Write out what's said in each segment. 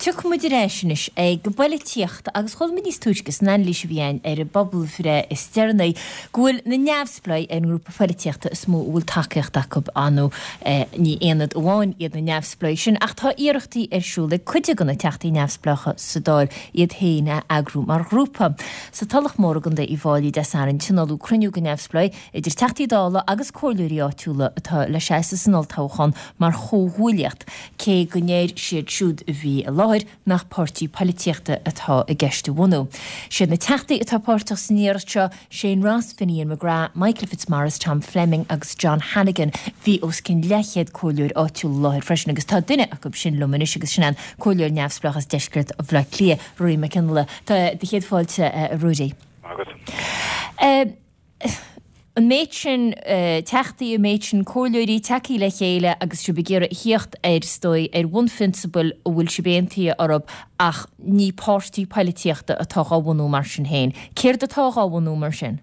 Tiocfaidh muid ar ais anois ag an bpoilitíocht agus chuala muid níos túisce san anailís a bhí againn ar an bpobalbhreith is deireanaí go bhfuil na neamhspleáigh ar an ngrúpa poilitíochta is mó a bhfuil tacaíocht acu. Ar ndóigh ní aonad amháin iad na neamhspleáigh sin ach tá iarrachtaí ar siúl ag cuid de na teachtaí neamhspleácha sa Dáil iad féin a eagrú mar ghrúpa. Sa Tulach Mhór i gContae Uíbh Fháilí Dé Sathairn tionóladh cruinniú de neamhspleáigh idir Teachtaí Dála agus comhairleoirí áitiúla atá le seasamh san olltoghchán mar chomhghuaillíocht, cé go ndeir siad siúd a bhí i láthair nach páirtí poilitíochta atá i gceist a bhunú. Siad na Teachtaí atá páirteach san iarracht seo, Shane Ross, Finian McGrath, Michael Fitzmaurice, Tom Fleming agus John Hannigan. Bhí os cionn leathchéad comhairleoir áitiúil i láthair freisin agus tá duine acu sin liom anois agus sin an comhairleoir neamhspleách as deisceart Bhaile Átha Cliath, Ruairí Mac Fhionnghaile. Tá do chéad fáilte, a Ruairí. Maith agat. An méid sin teachtaí, an méid sin comhairleoirí tagthaí le chéile agus sibh ag iarraidh a thíocht ar, is dóigh, ar bhunphrionsabail a bhfuil sibh aontaithe orthu ach ní páirtí poilitíochta atá dhá bhunú mar sin féin. Céard atá dhá bhunú mar sin?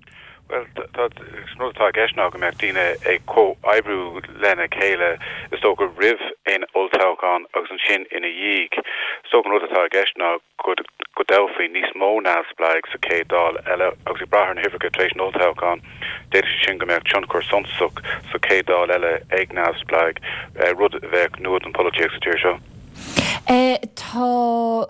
Bhuel, tá, an rud atá i gceist ná go mbeadh daoine ag comhoibriú lena chéile, is dócha, roimh aon olltoghchán agus ansin ina dhiaidh. Is dócha an rud atá i gceist ná go go dtoghfaí níos mó neamhspleáigh sa chéad Dáil eile agus ag brath ar na huimhreacha tar éis an olltoghcháin, d'fhéadfadh sé sin go mbeadh tionchar suntasach sa chéad Dáil eile ag neamhspleáigh, rud a bheadh nua don pholaitíocht sa tír seo. Tá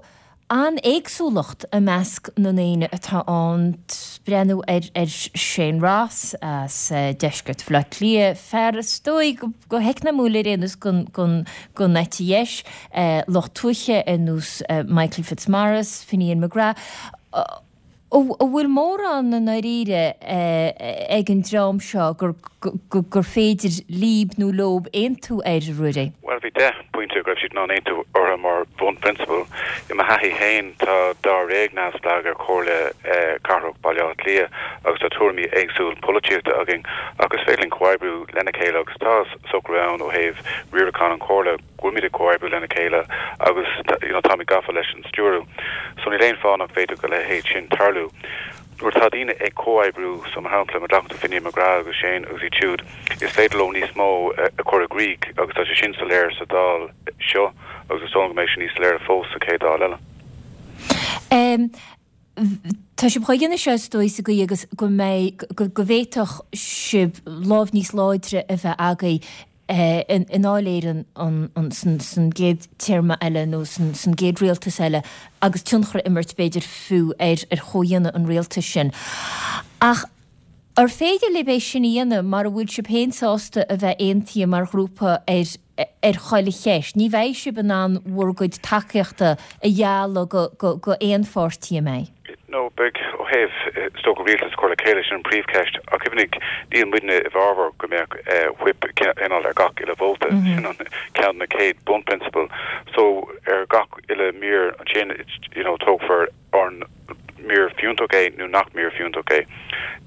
an-éagsúlacht i measc na ndaoine atá ann. Breathnú ar Shane Ross as deisceart Bhaile Átha Cliath, fear is dóigh go heacnamúil ar aon nós den eite dheis, lucht tuaithe ar nós Michael Fitzmaurice, Finian McGrath. An bhfuil mórán i ndáiríre ag an dream seo gur féidir líb nó leob aontú air, a Ruairí? Bhuel, bhí 10 bpointe go raibh siad in ann aontú orthu mar bhunphrionsabail. I mo thaithí féin, tá dáréag neamhspleách ar Chomhairle Cathrach Bhaile Átha Cliath agus tá tuairimí éagsúil polaitíochta againn ach is féidir linn comhoibriú lena chéile agus tá socrú ann ó thaobh riarachán an Chomhairle. go bhfuilimid ag comhoibriú lena chéile agus you know táimid gafa leis an stiúradh so níl aon fáth nach bhféadfadh a leithéid sin tarlú. Nuair atá daoine ag comhoibriú, so mar shampla má ghlacann tú Finian McGrath agus Shane agus iad siúd, is féidir leo níos mó a chur i gcrích agus tá sé sin soiléir sa Dáil seo agus is dóigh liom go mbeidh sé níos soiléire fós sa chéad Dáil eile. Tá sibh dhá dhéanamh seo is dóigh sa gcaoi agus go mbeidh, go bhféadfadh sibh lámh níos láidre a bheith agaibh i nDáil Éireann san gcéad téarma eile nó san gcéad rialtas eile agus tionchar a imirt b'fhéidir fiú ar chomhdhéanamh an rialtais sin. Ach ar féidir libh é sin a dhéanamh mara bhfuil sibh féin sásta a bheith aontaithe mar ghrúpa ar ar chuile cheist? Ní bheidh sibh in ann bhur gcuid tacaíochta a ghealladh go aon pháirtí, an mbeidh? No, beidh, ó thaobh, is dócha, rialtas a chur le chéile, sin an príomhcheist. Ach cuimhnigh, níl muidne i bhfabhar go mbeadh whip cineál ar gach uile vóta. Sin an ceann de na chéad bunphrionsabail. So, ar gach uile mír ansin, you know, tógfar an mír fiúntach é nó nach mír fiúntach é.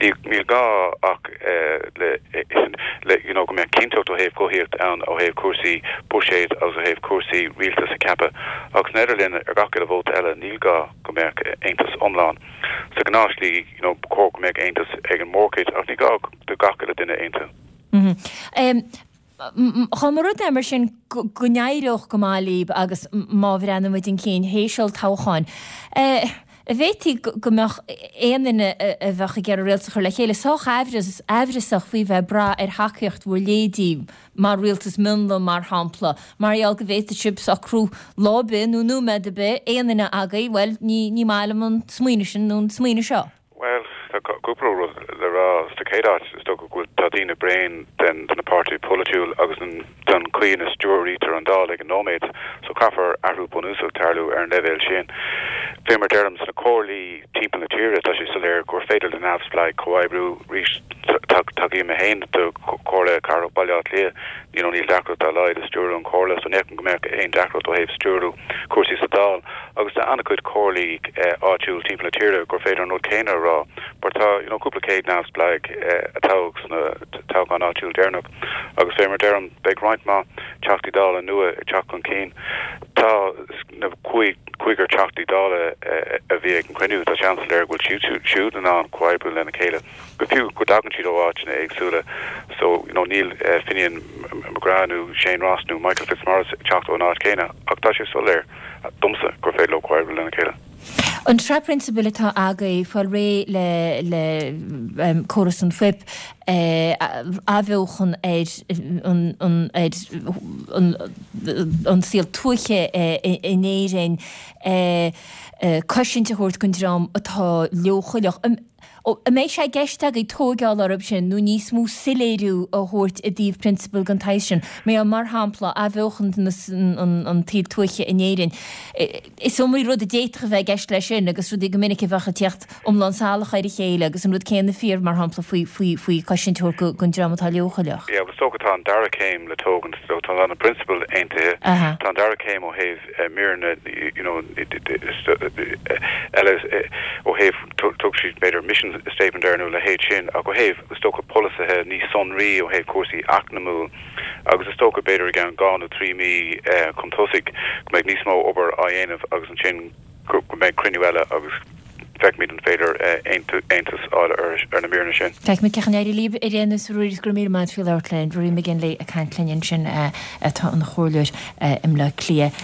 Níl gá ach le le you know go mbeadh cinnteacht ó thaobh guthaíocht ann ó thaobh cúrsaí buiséid agus ó thaobh cúrsaí rialtas a cheapadh. Ach san idirlinn ar gach uile vóta eile níl gá go mbeadh aontas iomlán. Sa ghnáthshlí you know ba chóir go mbeadh aontas ag an mórchuid ach ní gá do gach uile duine aontú. Dá mba rud é mar sin go n-éireodh go maith libh agus má bhreathnaímid chun cinn théis olltoghcháin, an bhféadfaí go mbeadh aon duine a bheadh ag iarraidh rialtas a chur le chéile sách aimhreasach faoi bheith ag brath ar thacaíocht bhur leithéidí mar rialtas mionlaigh, mar shampla, mar gheall go bhféadfadh sibh socrú lá ar bith nó nóiméad ar bith, aon duine agaibh, bhuel, ní maith liom an smaoineamh sin nó an smaoineamh seo. Bhuel, tá cúpla rud le rá. Sa chéad áit, is dócha go bhfuil, tá daoine bréan den, de na páirtithe polaitiúil agus den, den chaoi ina stiúraítear an Dáil ag an nóiméad, so caithfear athrú bunúsach tarlú ar an leibhéal sin. Fé mar deirim, sna comhairlí timpeall na tíre, tá sé soiléir gur féidir le neamhspleáigh comhoibriú. Arís, tacaím mé féin do Chomhairle Cathrach Bhaile Átha Cliath, you know, níl deacracht dá laghad i stiúradh an chomhairle, so ní fheicim go mbeadh aon deacracht ó thaobh stiúradh cúrsaí sa Dáil. Agus tá an-chuid comhairlí áitiúil timpeall na tíre gur féidir an rud céanna a rá, mar tá, you know, cúpla céad neamhspleách a toghadh sna toghcháin áitiúil deireanach agus fé mar deirim, beidh roinnt mhaith Teachtaí Dála nua ag teacht chun cinn. Tá na cúigear Teachtaí Dála a bhí ag an chruinniú, tá sé an-soiléir go bhfuil siad siúd in ann comhoibriú lena chéile, go fiú go dtagann siad ó áiteanna éagsúla. So, you know, níl Finian McGrath nó Shane Ross nó Michael Fitzmaurice ag teacht ón áit chéanna ach tá sé soiléir domsa gur féidir leo comhoibriú lena chéile. An tsraith prionsabail atá agaibh, fáil réidh le córas an phuip, athbheochan ar an saol tuaithe in Éirinn, cosaint a thabhairt don dream atá leochaileach. An mbeidh sé i gceist agaibh tóigeáil orthu sin nó níos mó soiléiriú a thabhairt i dtaobh prionsabail den tsaghas sin? Mar shampla, athbheochan an tsaoil tuaithe in Éirinn. Is iomaí rud a d'fhéadfadh a bheith i gceist leis sin agus rudaí go minic a bheadh ag teacht iomlán salach ar a chéile agus an rud céanna fíor, mar shampla, faoi, faoi, faoi chosaint a thabhairt don dream atá leochaileach. Yeah, is dócha tá an dara céim le tógaint, so tá na prionsabail aontaithe. Tá an dara céim ó thaobh míreanna you know eile ó thaobh thug siad b'fhéidir mission statement air nó a leithéid sin ach ó thaobh is dócha polasaithe níos sonraí ó thaobh cúrsaí eacnamúil agus is dócha b'fhéidir i gceann 2 nó 3 mí chun tosaigh go mbeidh níos mó obair á dhéanamh agus ansin go mbeidh cruinniú eile agus feicfimid an féidir aontas a fháil ar na míreanna sin. Feicfimid cén chaoi a n-éireoidh libh ar aon nós a Ruairí, go raibh míle maith agat faoi labhairt linn. Ruairí McGinley ag caint linn ansin atá ina chomhairleoir i mBleá Cliath.